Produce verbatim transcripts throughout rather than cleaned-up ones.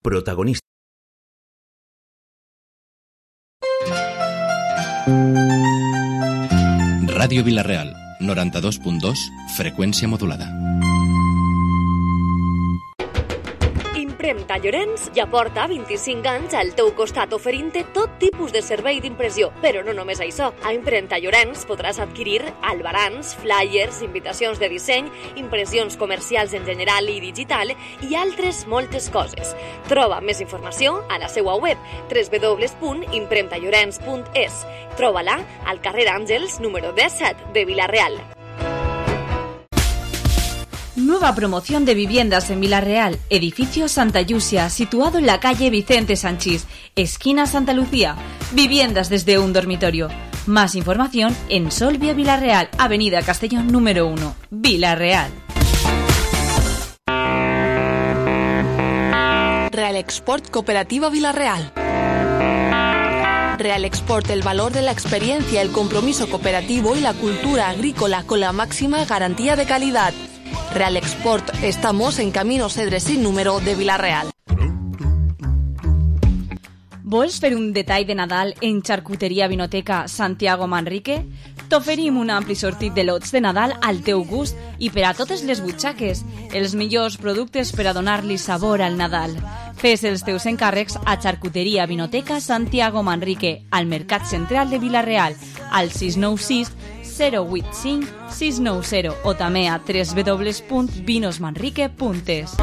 Protagonista. Ràdio Vila-real, noranta-dos punt dos, freqüència modulada. Impremta Llorenç ja porta vint-i-cinc anys al teu costat oferint-te tot tipus de servei d'impressió. Però no només això. A Impremta Llorenç podràs adquirir albarans, flyers, invitacions de disseny, impressions comercials en general i digital i altres moltes coses. Troba més informació a la seva web w w w punt impremta llorenç punt es. Troba-la al carrer Àngels, número disset de Vila-real. Nueva promoción de viviendas en Vila-real, edificio Santa Llucia, situado en la calle Vicente Sanchís, esquina Santa Lucía. Viviendas desde un dormitorio. Más información en Solvia Vila-real, avenida Castellón número uno, Vila-real. Real Export Cooperativa Vila-real. Real Export, el valor de la experiencia, el compromiso cooperativo y la cultura agrícola con la máxima garantía de calidad. Real Export, estamos en Camino Cedres sin número de Vila-real. Vols fer un detall de Nadal en Charcuteria Vinoteca Santiago Manrique? T'oferim un ampli sortit de lots de Nadal al teu gust i per a totes les butxaques, els millors productes per a donar-li sabor al Nadal. Fes els teus encàrrecs a Charcuteria Vinoteca Santiago Manrique, al Mercat Central de Vila-real, al sis nou sis zero vuit cinc sis nou zero o també a w w w punt vinos manrique punt es.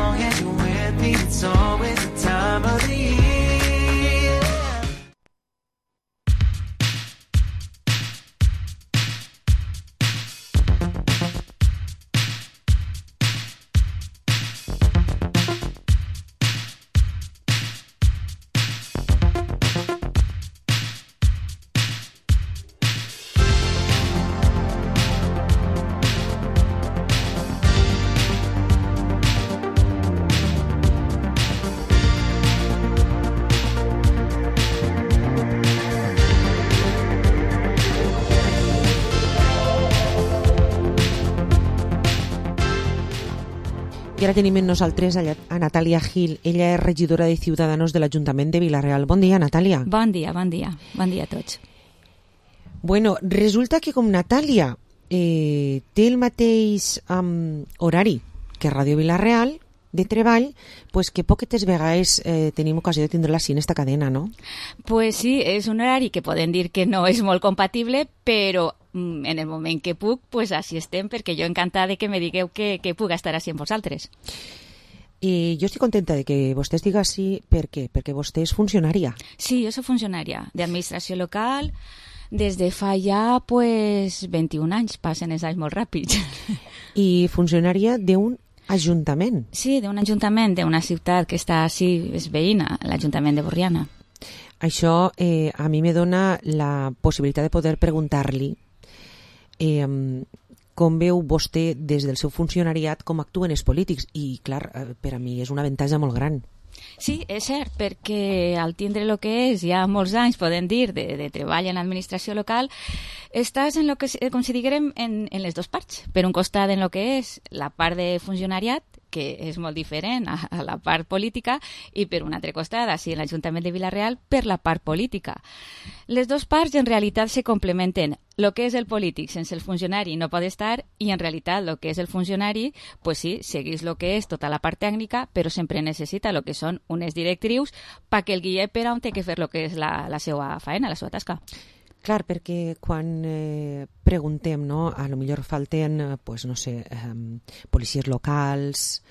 I ara tenim amb nosaltres a Natàlia Gil. Ella és regidora de Ciudadanos de l'Ajuntament de Vila-real. Bon dia, Natàlia. Bon dia, bon dia. Bon dia a tots. Bueno, resulta que com Natàlia eh, té el mateix um, horari que Ràdio Vila-real de treball, pues que poquetes vegades eh, tenim ocasió de tindre-la així en esta cadena, no? Pues sí, és un horari que podem dir que no és molt compatible, però en el moment que puc, pues així estem, perquè jo encantada de que me digueu que, que puc estar així amb vosaltres. I jo estic contenta de que vostè estigui així, per què? Perquè vostè és funcionària. Sí, jo soc funcionària d'administració local des de fa ja pues, vint-i-un anys, passen els anys molt ràpids. I funcionària d'un ajuntament. Sí, d'un ajuntament, d'una ciutat que està així, és veïna, l'Ajuntament de Borriana. Això eh, a mi me dona la possibilitat de poder preguntar-li eh, com veu vostè des del seu funcionariat com actuen els polítics i clar, per a mi és una avantatge molt gran. Sí, és cert, perquè al tindre el que és ja molts anys, podem dir, de, de treball en l'administració local, estàs en lo que, com si diguérem, en, en les dues parts. Per un costat en lo que és la part de funcionariat, que és molt diferent a, a la part política, i per un altre costat, així en l'Ajuntament de Vila-real, per la part política. Les dues parts en realitat se complementen. Lo que és el polític sense el funcionari no pot estar i en realitat lo que és el funcionari, pues sí, seguís lo que és tota la part tècnica, però sempre necessita lo que són unes directrius perquè el guie per on té que fer lo que és la, la seva faena, la seva tasca. Clar, perquè quan eh, preguntem, no, a lo millor falten, pues, no sé, eh, policies locals,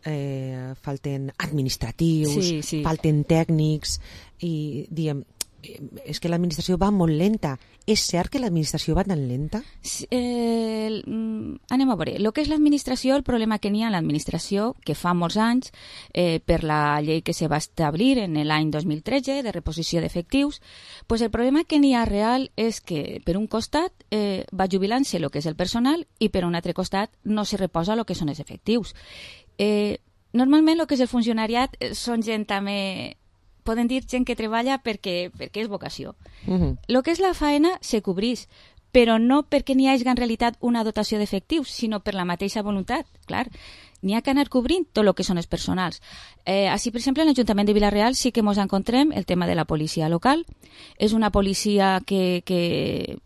eh, falten administratius, sí, sí. falten tècnics, i diem, és que l'administració va molt lenta. És cert que l'administració va tan lenta? Sí, eh, anem a veure. El que és l'administració, el problema que n'hi ha en l'administració, que fa molts anys, eh, per la llei que se va establir en l'any dos mil tretze, de reposició d'efectius, pues el problema que n'hi ha real és que, per un costat, eh, va jubilant-se el que és el personal i per un altre costat no se reposa el que són els efectius. Eh, normalment el que és el funcionariat són gent també... Poden dir gent que treballa perquè, perquè és vocació. Uh-huh. Lo que és la faena se cobrís, però no perquè n'hi hagi en realitat una dotació d'efectius, sinó per la mateixa voluntat, clar. N'hi ha que anar cobrint tot el que són els personals. Eh, així, per exemple, en l'Ajuntament de Vila-real sí que ens encontrem el tema de la policia local. És una policia que, que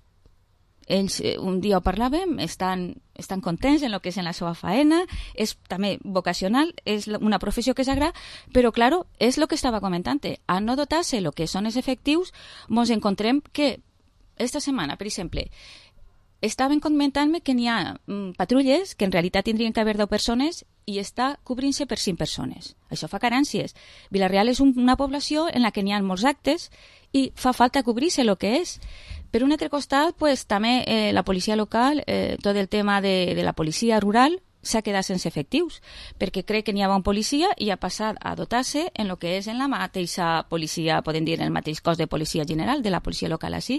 ells, un dia ho parlàvem, estan, estan contents en el que és en la seva faena, és també vocacional, és una professió que s'agrada, però, claro, és el que estava comentant. A no dotar-se el que són els efectius, ens encontrem que esta setmana, per exemple, estaven comentant-me que n'hi ha mm, patrulles que en realitat tindrien que haver deu persones i està cobrint-se per cinc persones. Això fa carències. Vila-real és un, una població en la que n'hi ha molts actes i fa falta cobrir-se el que és. Per un altre costat, pues, també eh, la policia local, eh, tot el tema de, de la policia rural, s'ha quedat sense efectius, perquè crec que n'hi havia un policia i ha passat a dotar-se en el que és en la mateixa policia, podem dir, en el mateix cos de policia general, de la policia local així.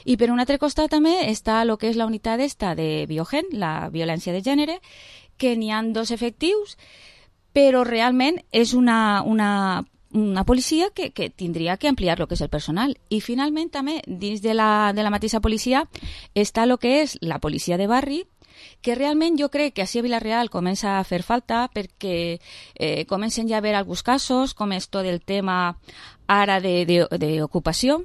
I per un altre costat també està el que és la unitat esta de Biogen, la violència de gènere, que n'hi ha dos efectius, però realment és una, una, una policia que, que tindria que ampliar el que és el personal. I finalment també, dins de la, de la mateixa policia, està el que és la policia de barri, que realment jo crec que així a Vila-real comença a fer falta perquè eh, comencen ja a haver alguns casos, com és tot el tema ara d'ocupació.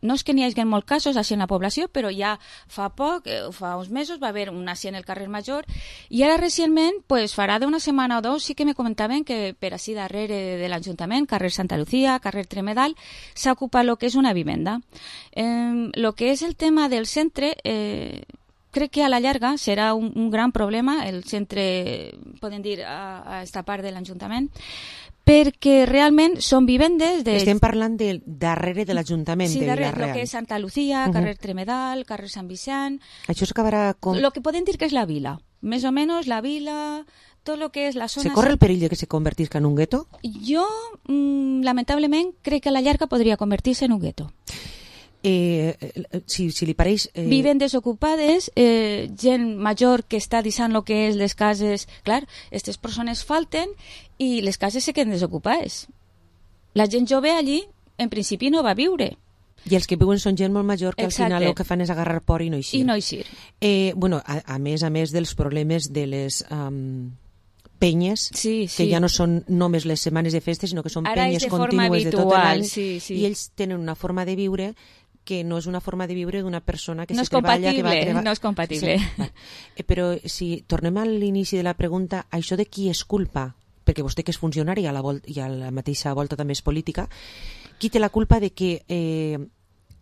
No és que n'hi hagi molts casos així en la població, però ja fa poc, eh, fa uns mesos, va haver una així en el carrer Major, i ara recentment, pues, farà d'una setmana o dos, sí que me comentaven que per així darrere de l'Ajuntament, carrer Santa Lucía, carrer Tremedal, s'ha ocupat el que és una vivenda. El eh, que és el tema del centre... Eh, crec que a la llarga serà un, un gran problema el centre, podem dir, a, a esta part de l'Ajuntament, perquè realment són vivendes... De... Estem parlant de darrere de l'Ajuntament sí, de darrere, Vila-real. Sí, que és Santa Lucía, carrer uh -huh. Tremedal, carrer Sant Vicent... Això s'acabarà com... Lo que podem dir que és la vila. Més o menys la vila, tot el que és la zona... Se corre el perill de que se convertisca en un gueto? Jo, mm, lamentablement, crec que a la llarga podria convertir-se en un gueto. Eh, si, si li pareix... Eh... Viven desocupades, eh, gent major que està deixant el que és les cases... Clar, aquestes persones falten i les cases se queden desocupades. La gent jove allí, en principi, no va viure. I els que viuen són gent molt major que Exacte. Al final el que fan és agarrar por i no eixir. I no eixir. Eh, bueno, a, a més a més dels problemes de les... Um... penyes, sí, sí. que ja no són només les setmanes de festes, sinó que són Ara penyes de contínues de tot l'any, sí, sí. i ells tenen una forma de viure que no és una forma de viure d'una persona que no se treballa... que va treba... No és compatible. Sí, eh, però si tornem a l'inici de la pregunta, això de qui és culpa? Perquè vostè que és funcionari a la volta, i a la mateixa volta també és política, qui té la culpa de que eh,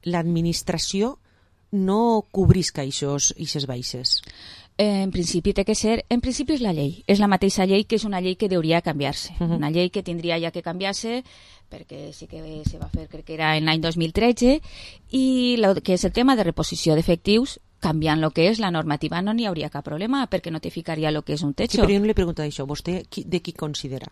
l'administració no cobrisca aquestes baixes? En principi té que ser, en principi és la llei, és la mateixa llei que és una llei que hauria de canviar-se, uh-huh. una llei que tindria ja que canviar-se perquè sí que se va fer, crec que era en l'any dos mil tretze, i lo que és el tema de reposició d'efectius, canviant el que és la normativa no n'hi hauria cap problema perquè notificaria el que és un techo. Sí, però jo no li pregunto això, vostè qui, de qui considera?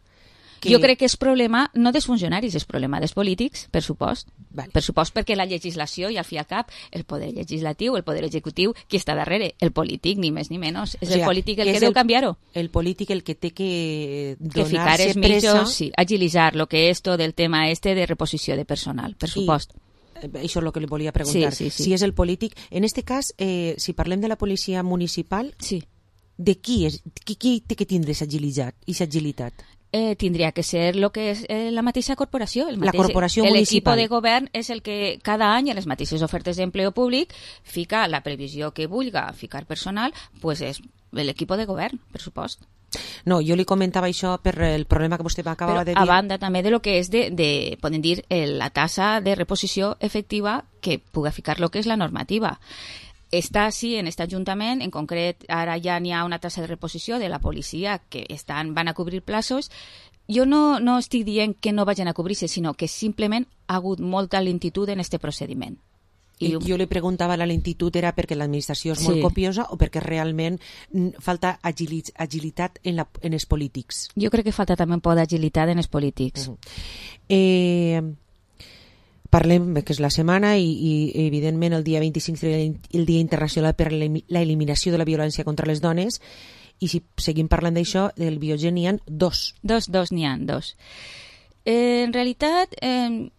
Que... Jo crec que és problema no dels funcionaris, és problema dels polítics, per supost. Vale. Per supost perquè la legislació, i al fi al cap, el poder legislatiu, el poder executiu, qui està darrere? El polític, ni més ni menys. És o sigui, el polític el que, que deu canviar-ho. El polític el que té que donar-se que ficar els pressa... mitjos, sí, agilitzar lo que és tot el tema este de reposició de personal, per supost. I això és el que li volia preguntar. Sí, sí, sí. Si és el polític... En este cas, eh, si parlem de la policia municipal, sí. de qui és? Qui, qui té que tindre aquesta agilitat? Eh, tindria que ser lo que és eh, la mateixa corporació. El mateix, la corporació el municipal. L'equip de govern és el que cada any en les mateixes ofertes d'empleo públic fica la previsió que vulga ficar personal, pues és l'equip de govern, per supost. No, jo li comentava això per el problema que vostè acabava Però de dir. A banda també de lo que és de, de podem dir, la tassa de reposició efectiva que puga ficar lo que és la normativa. Està així en aquest Ajuntament, en concret ara ja n'hi ha una tassa de reposició de la policia que estan, van a cobrir plaços. Jo no, no estic dient que no vagin a cobrir-se, sinó que simplement ha hagut molta lentitud en aquest procediment. I jo li preguntava, la lentitud era perquè l'administració és sí. molt copiosa o perquè realment falta agilit, agilitat en, la, en els polítics? Jo crec que falta també un poc d'agilitat en els polítics. Uh-huh. Eh... Parlem, que és la setmana i, i evidentment el dia vint-i-cinc el Dia Internacional per la Eliminació de la Violència contra les Dones, i si seguim parlant d'això, del Biogen n'hi ha dos. Dos, dos n'hi ha, dos. Eh, en realitat, eh,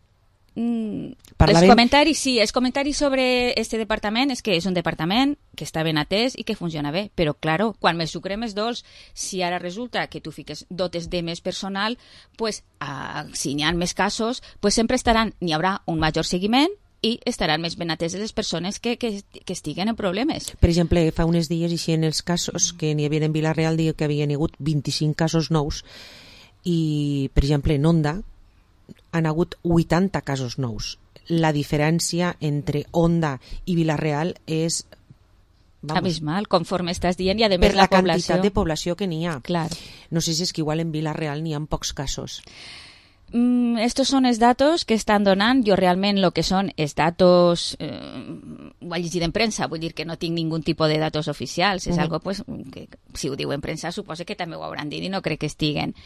Mm, Parlaven... Els comentaris, sí, els comentaris sobre este departament és que és un departament que està ben atès i que funciona bé, però, claro, quan més sucre més dolç, si ara resulta que tu fiques dotes de més personal, pues, a, si n'hi ha més casos, pues sempre estaran, n'hi haurà un major seguiment i estaran més ben ateses les persones que, que, que estiguen en problemes. Per exemple, fa uns dies, i en els casos que n'hi havia en Vila-real, diu que havien hagut vint-i-cinc casos nous i, per exemple, en Onda han hagut vuitanta casos nous. La diferència entre Onda i Vila-real és... Vamos, abismal, conforme estàs dient, i a per més la, la població... quantitat de població que n'hi ha. Clar. No sé si és que igual en Vila-real n'hi ha pocs casos. Mm, estos son els datos que estan donant. Jo realment el que són els datos eh, ho he llegit en premsa, vull dir que no tinc ningú tipus de datos oficials, és uh-huh. algo pues, que si ho diu en premsa suposo que també ho hauran dit i no crec que estiguen,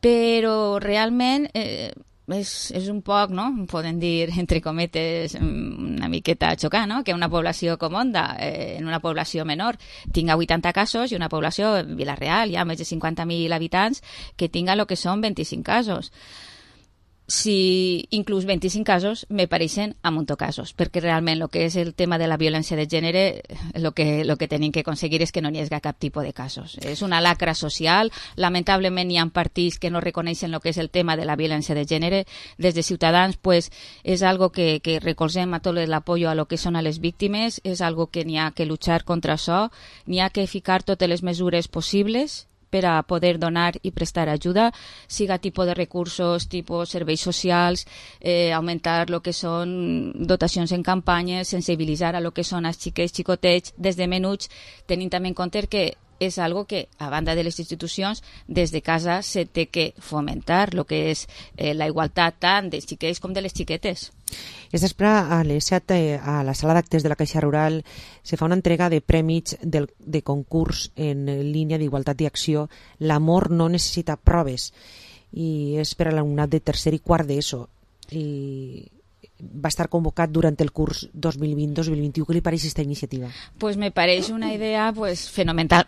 però realment eh, és, és un poc, no? Podem dir, entre cometes, una miqueta xocant, no? Que una població com Onda, eh, en una població menor, tinga vuitanta casos i una població, Vila-real, ja més de cinquanta mil habitants, que tinga el que són vint-i-cinc casos. Si inclús vint-i-cinc casos me pareixen a muntó casos, perquè realment el que és el tema de la violència de gènere, el que, lo que tenim que aconseguir és que no n'hi hagi cap tipus de casos. És una lacra social, lamentablement hi ha partits que no reconeixen el que és el tema de la violència de gènere. Des de Ciutadans, pues, és algo que, que recolzem a tot l'apoyo a lo que són a les víctimes, és algo que n'hi ha que luchar contra això, n'hi ha que ficar totes les mesures possibles per a poder donar i prestar ajuda, siga tipus de recursos, tipus serveis socials, eh, augmentar el que són dotacions en campanyes, sensibilitzar a lo que són els xiquets, xicotets, des de menuts, tenint també en compte que és algo que, a banda de les institucions, des de casa se té que fomentar, el que és eh, la igualtat tant dels xiquets com de les xiquetes. És després, a les set, a la sala d'actes de la Caixa Rural, se fa una entrega de prèmits del, de concurs en línia d'igualtat i acció. L'amor no necessita proves, i és per a l'alumnat de tercer i quart d'ESO. I va estar convocat durant el curs dos mil vint dos mil vint u. Què li pareix aquesta iniciativa? Pues me pareix una idea pues fenomenal,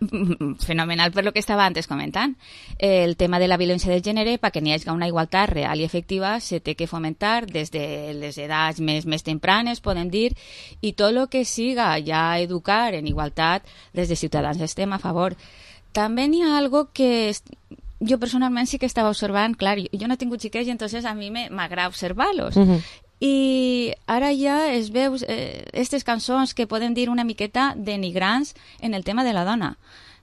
fenomenal per lo que estava antes comentant. El tema de la violència de gènere, perquè n'hi hagi una igualtat real i efectiva, se té que fomentar des de les edats més, més tempranes, podem dir, i tot el que siga ja educar en igualtat, des de Ciutadans estem a favor. També n'hi ha algo que jo personalment sí que estava observant, clar, jo no he tingut xiquets i entonces a mi m'agrada observar-los. Uh-huh. I ara ja es veu eh, aquestes cançons que podem dir una miqueta denigrants en el tema de la dona.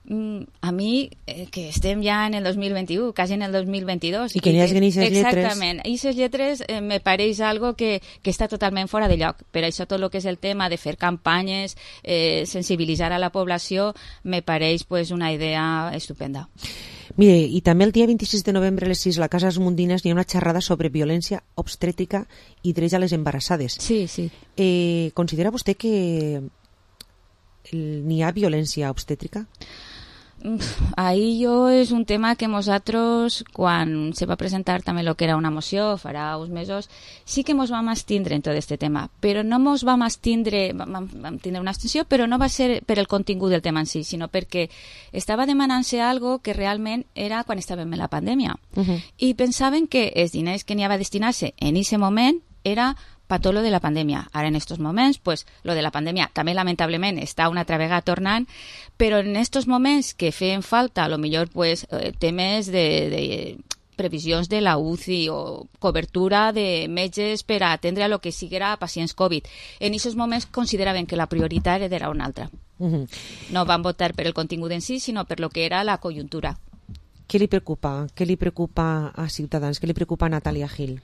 Mm, a mi, eh, que estem ja en el dos mil vint-i-u, quasi en el dos mil vint-i-dos... I que n'hi hagi aquestes lletres... Exactament. Aquestes lletres eh, me pareix algo que, que està totalment fora de lloc. Per això tot el que és el tema de fer campanyes, eh, sensibilitzar a la població, me pareix pues, una idea estupenda. Mire, i també el dia vint-i-sis de novembre a les sis a la Casa Esmundines hi ha una xerrada sobre violència obstètrica i drets a les embarassades. Sí, sí. Eh, considera vostè que n'hi ha violència obstètrica? Ahí jo és un tema que nosaltres, quan se va presentar també el que era una moció, farà uns mesos, sí que ens vam abstindre en tot aquest tema, però no ens vam abstindre, vam, vam tindre una abstenció, però no va ser per el contingut del tema en si, sinó perquè estava demanant-se algo que realment era quan estàvem en la pandèmia. Uh-huh. I pensaven que els diners que n'hi havia a destinar-se en aquest moment era per tot lo de la pandèmia. Ara, en aquests moments, pues, lo de la pandèmia també, lamentablement, està una altra vegada tornant, però en aquests moments que feien falta, a lo millor, pues, eh, temes de, de previsions de la U C I o cobertura de metges per a atendre a lo que siguera pacients Covid. En aquests moments consideraven que la prioritat era una altra. Uh-huh. No van votar per el contingut en si, sinó per lo que era la conjuntura. Què li preocupa? Què li preocupa a Ciutadans? Què li preocupa a Natàlia Gil?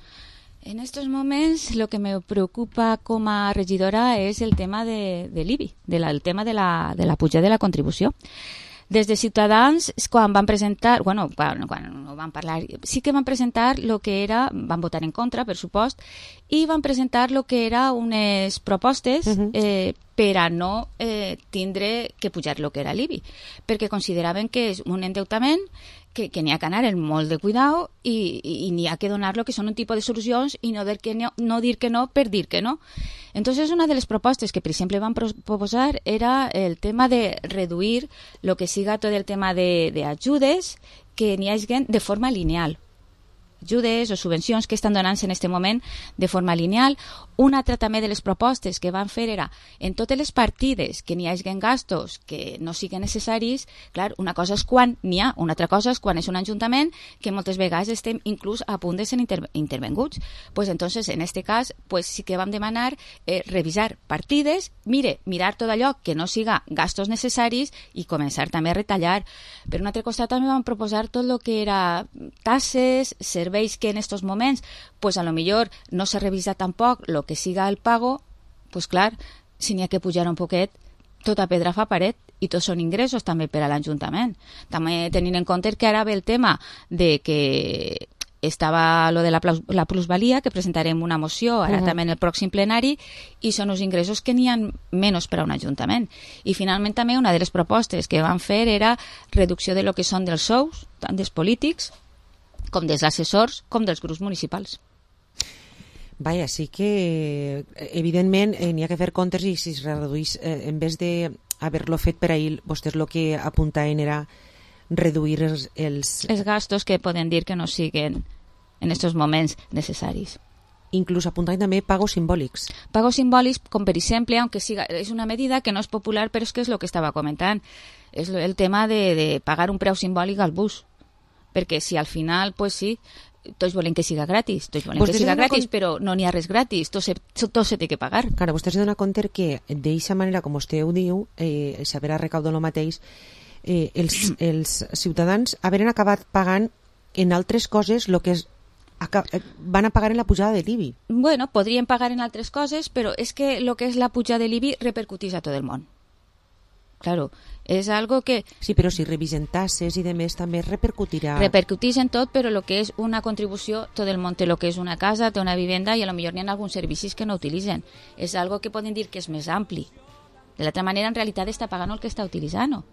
En estos momentos lo que me preocupa com a regidora és el tema de, de l'I B I, de la, el tema de la, de la pujada de la contribució. Des de Ciutadans, quan van presentar, bueno, quan, quan no van parlar, sí que van presentar lo que era, van votar en contra, per supost, i van presentar lo que era unes propostes uh-huh. eh, per a no eh, tindre que pujar lo que era l'I B I, perquè consideraven que és un endeutament que, que n'hi ha que anar en molt de cuidado i, i, i n'hi ha que donar lo que són un tipus de solucions i no dir que no, no dir que no per dir que no. Entonces, una de les propostes que, per exemple, van proposar era el tema de reduir lo que siga tot el tema de, de ajudes que n'hi hagin de forma lineal. ajudes o subvencions que estan donant-se en aquest moment de forma lineal. Una altra també de les propostes que van fer era en totes les partides que n'hi hagi gastos que no siguin necessaris, clar, una cosa és quan n'hi ha, una altra cosa és quan és un ajuntament que moltes vegades estem inclús a punt de ser inter intervenguts. Pues entonces, en este cas, pues sí que vam demanar eh, revisar partides, mire, mirar tot allò que no siga gastos necessaris i començar també a retallar. Per un altre costat també vam proposar tot el que era tasses, serveis que en estos moments, pues a lo millor no s'ha revisat tampoc lo que siga el pago, pues clar, si n'hi ha que pujar un poquet, tota pedra fa paret i tots són ingressos també per a l'Ajuntament. També tenint en compte que ara ve el tema de que estava lo de la, la plusvalia, que presentarem una moció ara uh -huh. també en el pròxim plenari, i són uns ingressos que n'hi ha menys per a un ajuntament. I finalment també una de les propostes que van fer era reducció de lo que són dels sous, tant dels polítics com dels assessors com dels grups municipals. Vaja, sí que evidentment eh, n'hi ha que fer comptes i si es reduís, eh, en vez de haver-lo fet per ahir, vostès el que apuntaven era reduir els, els... els gastos que poden dir que no siguen en aquests moments necessaris. Inclús apuntant també pagos simbòlics. Pagos simbòlics, com per exemple, aunque siga, és una medida que no és popular, però és que és el que estava comentant. És el tema de, de pagar un preu simbòlic al bus. Perquè si al final, pues sí, tots volen que siga gratis, tots volen pues que siga gratis, con... però no n'hi ha res gratis, tot se, tot se té que pagar. Clar, vostè s'ha donat compte que d'eixa manera, com vostè ho diu, eh, s'haverà recaudat el mateix, eh, els, els ciutadans haveren acabat pagant en altres coses el que és, van a pagar en la pujada de l'I B I. Bueno, podrien pagar en altres coses, però és que el que és la pujada de l'I B I repercuteix a tot el món. Claro, és algo que... Sí, però si revisen tasses i demés també repercutirà... Repercuteix en tot, però el que és una contribució, tot el món té el que és una casa, té una vivenda i a lo millor n'hi ha alguns servicis que no utilitzen. És algo que poden dir que és més ampli. De l'altra manera, en realitat, està pagant el que està utilitzant.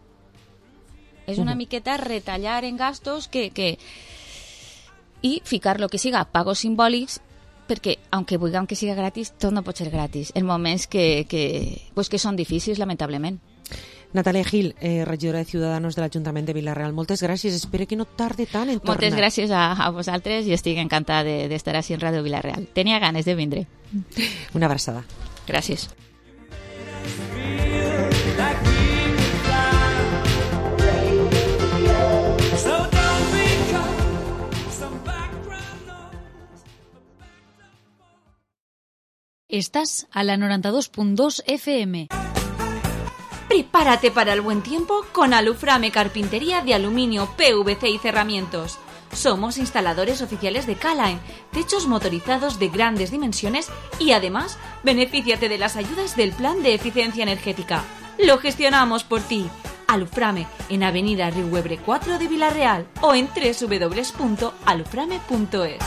És una uh -huh. miqueta retallar en gastos que, que... i ficar lo que siga pagos simbòlics, perquè, aunque vulguem que siga gratis, tot no pot ser gratis. En moments que, que, pues que són difícils, lamentablement. Natalia Gil, eh, regidora de Ciudadanos de l'Ajuntament de Vila-real, moltes gràcies. Espero que no tarde tant en tornar. Moltes gràcies a, a vosaltres i estic encantada d'estar de, així en Ràdio Vila-real. Tenia ganes de vindre. Una abraçada. Gràcies. Estás a la noventa y dos punto dos F M. Prepárate para el buen tiempo con Aluframe Carpintería de Aluminio, P V C y Cerramientos. Somos instaladores oficiales de K-Line, techos motorizados de grandes dimensiones y además benefíciate de las ayudas del Plan de Eficiencia Energética. Lo gestionamos por ti. Aluframe en Avenida Riuebre cuatro de Vila-real o en doble u doble u doble u punto aluframe punto es.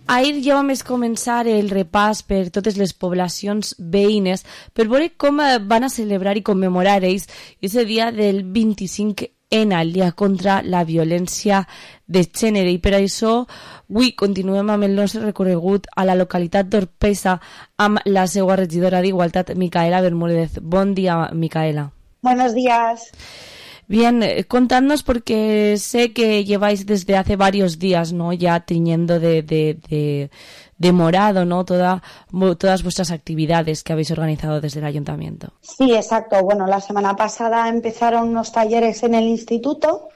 Ahir ja vam començar el repàs per totes les poblacions veïnes per veure com van a celebrar i commemorar ells aquest dia del vint-i-cinc ena, el dia contra la violència de gènere. I per això avui continuem amb el nostre recorregut a la localitat d'Orpesa amb la seva regidora d'Igualtat, Micaela Bermúdez. Bon dia, Micaela. Buenos días. Bien, contadnos porque sé que lleváis desde hace varios días, ¿no? Ya tiñendo de, de, de, de morado, ¿no? Toda, todas vuestras actividades que habéis organizado desde el ayuntamiento. Sí, exacto. Bueno, la semana pasada empezaron unos talleres en el instituto,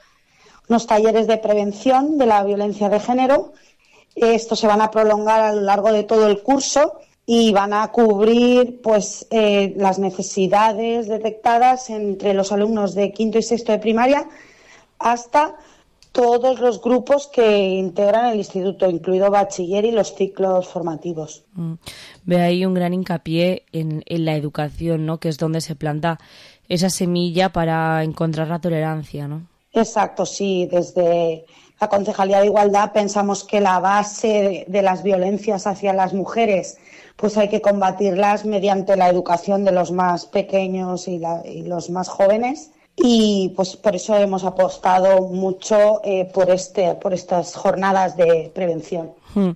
unos talleres de prevención de la violencia de género. Estos se van a prolongar a lo largo de todo el curso y van a cubrir pues eh, las necesidades detectadas entre los alumnos de quinto y sexto de primaria hasta todos los grupos que integran el instituto, incluido bachiller y los ciclos formativos. Mm. Ve ahí un gran hincapié en, en la educación, ¿no? Que es donde se planta esa semilla para encontrar la tolerancia, ¿no? Exacto, sí. Desde la Concejalía de Igualdad pensamos que la base de, de las violencias hacia las mujeres pues hay que combatirlas mediante la educación de los más pequeños y, la, y los más jóvenes. Y pues por eso hemos apostado mucho eh, por este por estas jornadas de prevención. Hmm.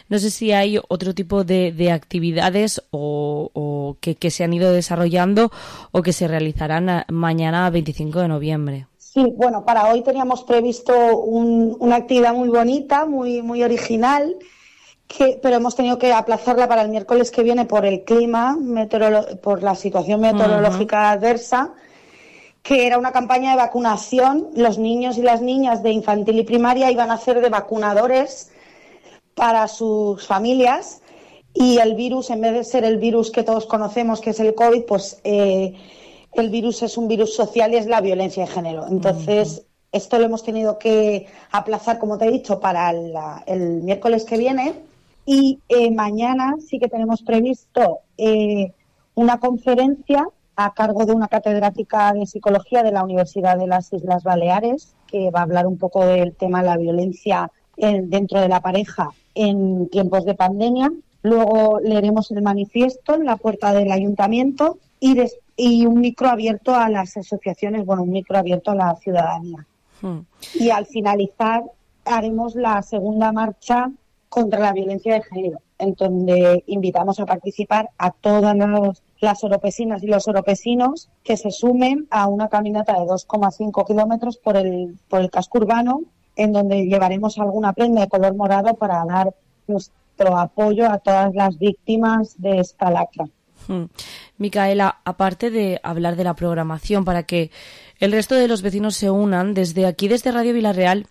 No sé si hay otro tipo de, de actividades o, o que, que se han ido desarrollando o que se realizarán a, mañana veinticinco de noviembre. Sí, bueno, para hoy teníamos previsto un, una actividad muy bonita, muy muy original, que, pero hemos tenido que aplazarla para el miércoles que viene por el clima, meteorolo- por la situación meteorológica uh-huh. adversa, que era una campaña de vacunación. Los niños y las niñas de infantil y primaria iban a ser de vacunadores para sus familias, y el virus, en vez de ser el virus que todos conocemos, que es el COVID, pues eh, el virus es un virus social y es la violencia de género. Entonces, uh-huh. esto lo hemos tenido que aplazar, como te he dicho, para la, el miércoles que viene, y eh, mañana sí que tenemos previsto eh, una conferencia a cargo de una catedrática de psicología de la Universidad de las Islas Baleares, que va a hablar un poco del tema de la violencia en, dentro de la pareja en tiempos de pandemia. Luego leeremos el manifiesto en la puerta del ayuntamiento y, des, y un micro abierto a las asociaciones, bueno, un micro abierto a la ciudadanía. Hmm. Y al finalizar haremos la segunda marcha contra la violencia de género, en donde invitamos a participar a todas los las oropesinas y los oropesinos que se sumen a una caminata de dos coma cinco kilómetros por el, por el casco urbano, en donde llevaremos alguna prenda de color morado para dar nuestro apoyo a todas las víctimas de esta lacra. Hmm. Micaela, aparte de hablar de la programación para que el resto de los vecinos se unan, desde aquí, desde Radio Vilarreal,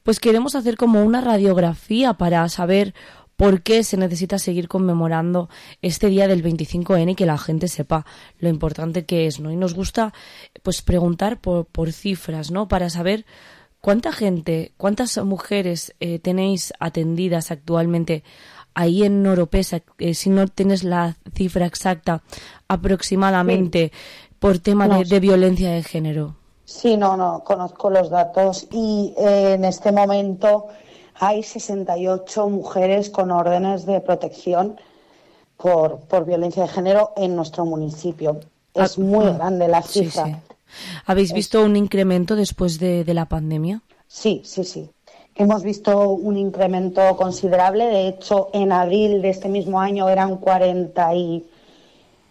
pues queremos hacer como una radiografía para saber por qué se necesita seguir conmemorando este día del veinticinco ene y que la gente sepa lo importante que es, ¿no? Y nos gusta pues preguntar por, por cifras, ¿no? Para saber cuánta gente, cuántas mujeres eh, tenéis atendidas actualmente ahí en Oropesa, eh, si no tienes la cifra exacta aproximadamente, sí. por tema no, de, de violencia de género. Sí, no, no, conozco los datos y eh, en este momento hay sesenta y ocho mujeres con órdenes de protección por, por violencia de género en nuestro municipio. Es ah, muy grande la cifra. Sí, sí. ¿Habéis visto es... un incremento después de, de la pandemia? Sí, sí, sí. Hemos visto un incremento considerable. De hecho, en abril de este mismo año eran cuarenta y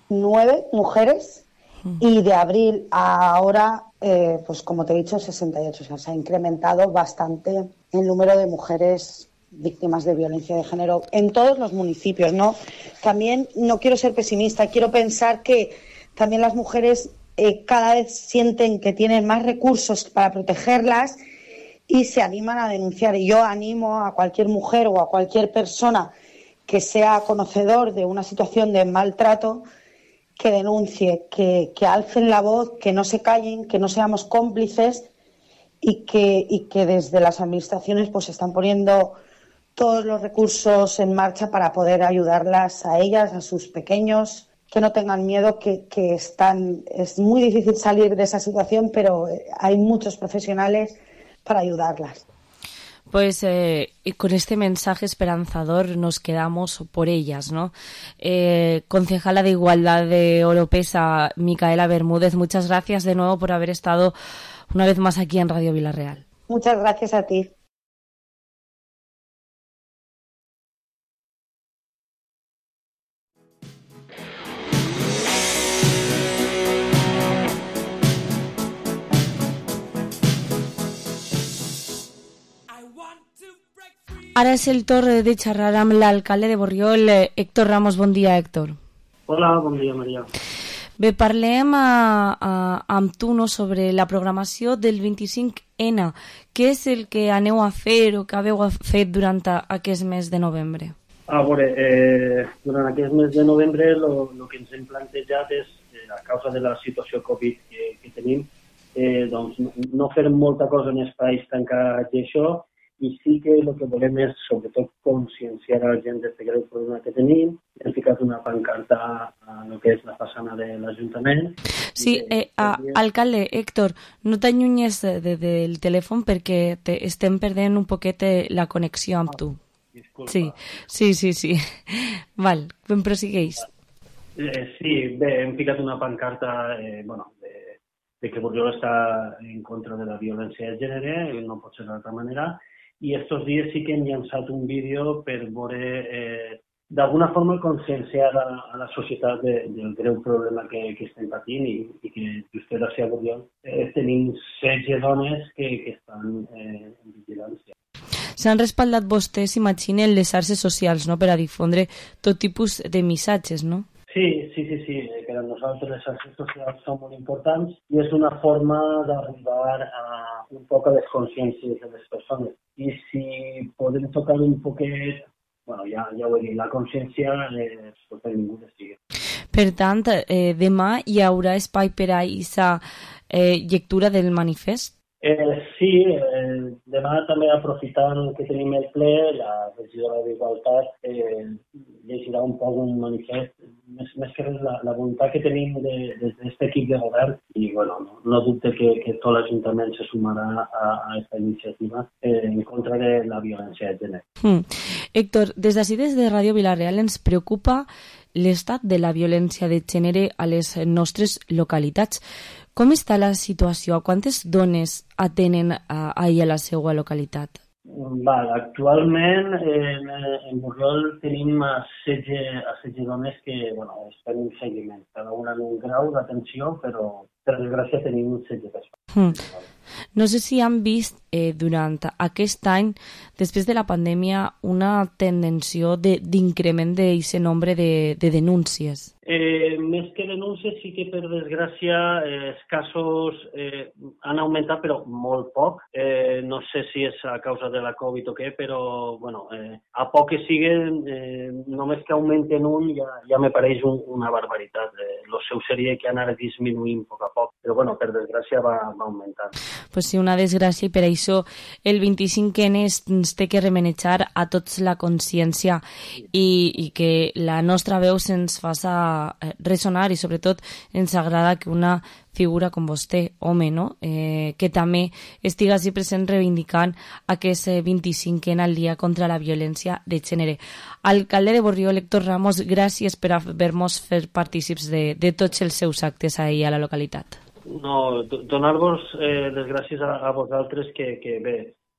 nueve mujeres mm. y de abril a ahora, eh, pues como te he dicho, sesenta y ocho. O sea, se ha incrementado bastante el número de mujeres víctimas de violencia de género en todos los municipios, ¿no? También no quiero ser pesimista, quiero pensar que también las mujeres eh, cada vez sienten que tienen más recursos para protegerlas y se animan a denunciar. Y yo animo a cualquier mujer o a cualquier persona que sea conocedor de una situación de maltrato que denuncie, que, que alcen la voz, que no se callen, que no seamos cómplices y que, y que desde las administraciones pues están poniendo todos los recursos en marcha para poder ayudarlas a ellas, a sus pequeños, que no tengan miedo, que, que están, es muy difícil salir de esa situación, pero hay muchos profesionales para ayudarlas. Pues eh, con este mensaje esperanzador nos quedamos por ellas, ¿no? Eh, concejala de Igualdad de Oropesa, Micaela Bermúdez, muchas gracias de nuevo por haber estado una vez más aquí en Radio Vilarreal. Muchas gracias a ti. Ara és el torn de xerrar amb l'alcalde de Borriol, Héctor Ramos. Bon dia, Héctor. Hola, bon dia, Maria. Bé, parlem a, a, amb tu no, sobre la programació del vint-i-cinc ene. Què és el que aneu a fer o que haveu fet durant aquest mes de novembre? A veure, eh, durant aquest mes de novembre el que ens hem plantejat és, eh, a causa de la situació Covid que, que tenim, eh, doncs no fer molta cosa en espais tancats i això, i sí que el que volem és, sobretot, conscienciar a la gent d'aquest greu problema que tenim. Hem ficat una pancarta a el que és la façana de l'Ajuntament. Sí, eh, a, alcalde, Héctor, no t'allunyes de, de, del telèfon perquè te, estem perdent un poquet la connexió amb tu. Disculpa. Sí, sí, sí, sí. Val, ben prosigueix. Eh, sí, bé, hem ficat una pancarta eh, bueno, de, de que Borriol està en contra de la violència de gènere, no pot ser d'altra manera, i estos dies sí que hem llançat un vídeo per veure, eh, d'alguna forma, conscienciar a, a la societat de, del greu problema que, que estem patint i, i que just gràcies a Borriol eh, tenim setze dones que, que estan eh, en vigilància. S'han respaldat vostès, imaginen, les xarxes socials, no?, per a difondre tot tipus de missatges, no? Sí, sí, sí, sí. Per a nosaltres les xarxes socials són molt importants i és una forma d'arribar a un poc a les consciències de les persones. I si podem tocar un poquet, bueno, ja, ja ho he dit, la consciència eh, pot benvinguda sigui. Per tant, eh, demà hi haurà espai per a aquesta eh, lectura del manifest? Eh, sí, eh, demà també aprofitant que tenim el ple, la regidora d'Igualtat eh, llegirà un poc un manifest, més, més que res la, la voluntat que tenim de, des d'aquest equip de govern i bueno, no, no dubte que, que tot l'Ajuntament se sumarà a aquesta iniciativa eh, en contra de la violència de gènere. Hmm. Héctor, des d'ací, des de Ràdio Vila-real, ens preocupa l'estat de la violència de gènere a les nostres localitats. Com està la situació? Quantes dones atenen a, ahir a la seva localitat? Val, actualment en, en Borriol tenim a setze, a setze dones que bueno, estan en seguiment, cada una en un grau d'atenció, però per desgràcia tenim setze persones. Hmm. No sé si han vist eh, durant aquest any, després de la pandèmia, una tendenció d'increment d'aquest nombre de, de denúncies. Eh, més que denúncies, sí que per desgràcia eh, els casos eh, han augmentat, però molt poc. Eh, no sé si és a causa de la Covid o què, però bueno, eh, a poc que siguen, eh, només que augmenten un ja, ja me pareix un, una barbaritat. Eh, lo seu seria que han anat disminuint a poc a poc, però bueno, per desgràcia va, va augmentant. Pues sí, una desgràcia, i per això el vint-i-cinc ene ens té que remenejar a tots la consciència i, i que la nostra veu se'ns faça resonar, i sobretot ens agrada que una figura com vostè, home, no? Eh, que també estiga així present reivindicant aquest vint-i-cinc ene al dia contra la violència de gènere. Alcalde de Borriol, Héctor Ramos, gràcies per haver-nos fet partícips de, de tots els seus actes ahir a la localitat. No, donar-vos eh, les gràcies a, a vosaltres que, que bé,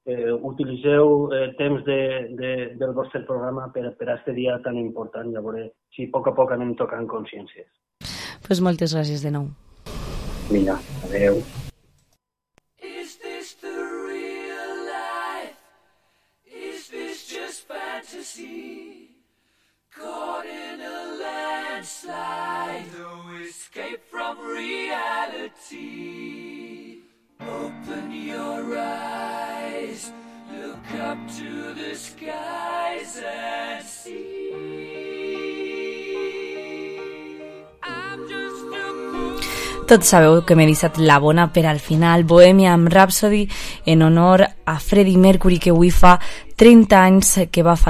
eh, utilitzeu eh, temps de, de, del vostre programa per, per a aquest dia tan important, i a veure si a poc a poc anem tocant consciències. Pues moltes gràcies de nou. Vinga, adeu. Is this the real life? Is this just fantasy? Caught in a landslide, no escape from reality. Open your eyes, look up to the skies and see. I'm just a fool. Tots sabeu que m'he deixat la bona per al final, Bohemian Rhapsody, en honor a Freddie Mercury, que avui fa trenta anys que va